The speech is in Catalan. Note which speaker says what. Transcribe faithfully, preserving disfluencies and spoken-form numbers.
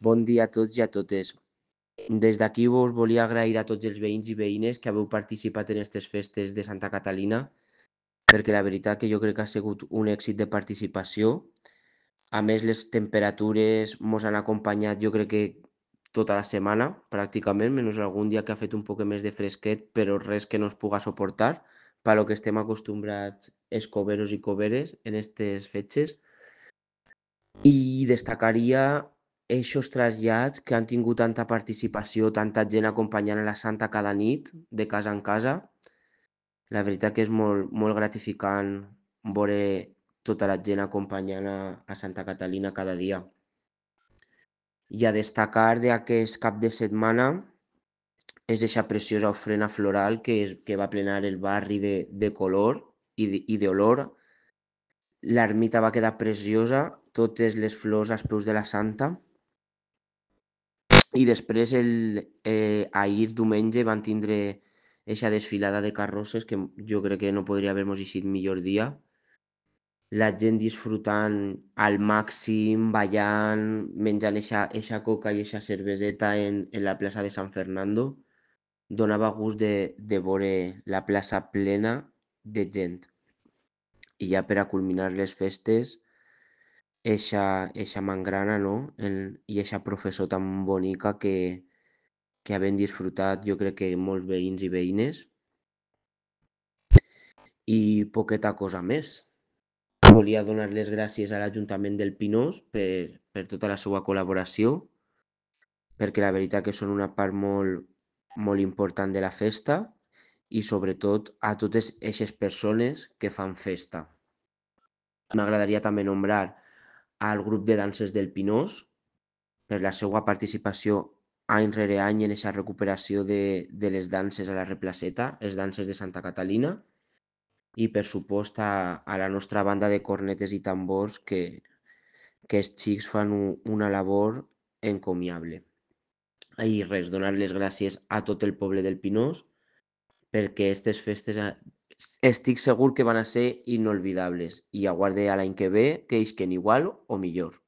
Speaker 1: Bon dia a tots i a totes. Des d'aquí vos volia agrair a tots els veïns i veïnes que haveu participat en aquestes festes de Santa Catalina, perquè la veritat que jo crec que ha sigut un èxit de participació. A més, les temperatures mos han acompanyat, jo crec que tota la setmana, pràcticament, menys algun dia que ha fet un poc més de fresquet, però res que no es puga suportar, per lo que estem acostumbrats els coberos i coberes en aquestes fetges. I destacaria eixos trasllats que han tingut tanta participació, tanta gent acompanyant a la santa cada nit, de casa en casa. La veritat que és molt, molt gratificant veure tota la gent acompanyant a, a Santa Catalina cada dia. I a destacar d'aquest cap de setmana és eixa preciosa ofrena floral que, és, que va plenar el barri de, de color i de- i d'olor. L'ermita va quedar preciosa, totes les flors als peus de la santa. I després, el, eh, ahir diumenge, van tindre eixa desfilada de carrosses que jo crec que no podria haver-mos eixit millor dia. La gent disfrutant al màxim, ballant, menjant eixa, eixa coca i eixa cerveseta en, en la plaça de San Fernando. Donava gust de, de veure la plaça plena de gent. I ja per a culminar les festes, eixa, eixa mangrana, no? El, I eixa professor tan bonica que, que havent disfrutat jo crec que molts veïns i veïnes. I poqueta cosa més. Volia donar les gràcies a l'Ajuntament del Pinós per, per tota la seva col·laboració, perquè la veritat que són una part molt, molt important de la festa i sobretot a totes aquestes persones que fan festa. M'agradaria també nombrar al grup de danses del Pinós per la seva participació any rere any en aquesta recuperació de, de les danses a la Replaceta, les danses de Santa Catalina, i per supost a, a la nostra banda de cornetes i tambors que, que els xics fan un, una labor encomiable. I res, donar les gràcies a tot el poble del Pinós perquè aquestes festes estic segur que van a ser inolvidables i aguarde a l'any que ve que isquen igual o millor.